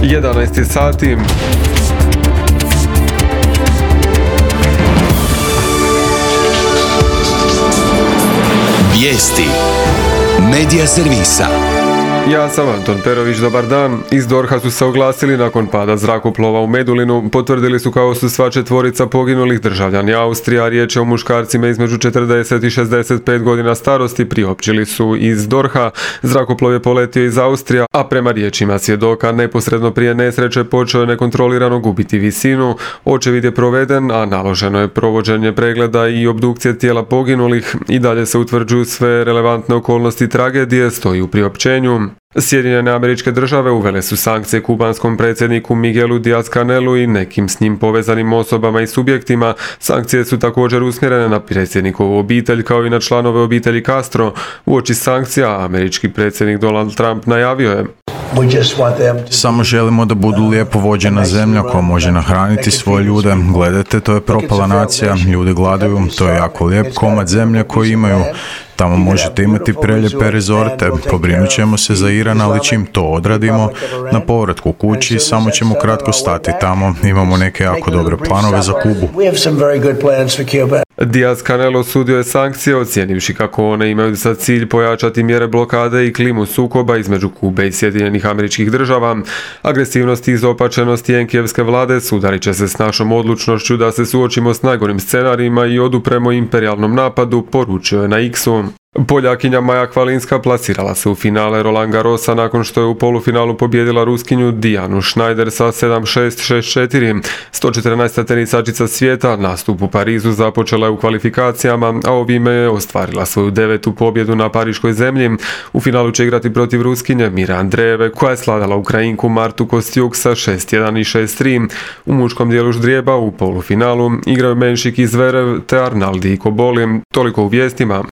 11 sati. Vijesti Medija servisa. Ja sam Anton Perović, dobar dan. Iz DORH-a su se oglasili nakon pada zrakoplova u Medulinu. Potvrdili su kao su sva četvorica poginulih državljani Austrije, a riječ je o muškarcima između 40 i 65 godina starosti. Priopćili su iz DORH-a. Zrakoplov je poletio iz Austrije, a prema riječima svjedoka neposredno prije nesreće počeo je nekontrolirano gubiti visinu. Očevid je proveden, a naloženo je provođenje pregleda i obdukcije tijela poginulih. I dalje se utvrđuju sve relevantne okolnosti tragedije, stoji u priopćenju. Sjedinjene Američke Države uvele su sankcije kubanskom predsjedniku Miguelu Díaz-Canelu i nekim s njim povezanim osobama i subjektima. Sankcije su također usmjerene na predsjednikovu obitelj kao i na članove obitelji Castro. Uoči sankcija američki predsjednik Donald Trump najavio je: Samo želimo da budu lijepo vođena zemlja koja može nahraniti svoje ljude. Gledajte, to je propala nacija, ljudi gladuju, to je jako lijep komad zemlje koji imaju. Tamo možete imati prelijepe rezorte, pobrinut ćemo se za Iran, ali čim to odradimo, na povratku kući samo ćemo kratko stati tamo, imamo neke jako dobre planove za Kubu. Díaz-Canel osudio je sankcije, ocijenivši kako one imaju za cilj pojačati mjere blokade i klimu sukoba između Kube i Sjedinjenih Američkih Država. Agresivnost i izopačenost Jenkijevske vlade sudarit će se s našom odlučnošću da se suočimo s najgorim scenarijima i odupremo imperijalnom napadu, poručio je na X-u. Poljakinja Maja Kvalinska plasirala se u finale Roland Garrosa nakon što je u polufinalu pobijedila Ruskinju Dijanu Schneider sa 7-6, 6-4. 114. tenisačica svijeta nastup u Parizu započela je u kvalifikacijama, a ovime je ostvarila svoju 9. pobjedu na pariškoj zemlji. U finalu će igrati protiv Ruskinje Mire Andrejeve, koja je svladala Ukrajinku Martu Kostjuk sa 6-1 i 6-3. U muškom dijelu ždrijeba u polufinalu igraju Menšik i Zverev te Arnaldi i Koboli. Toliko u vijestima.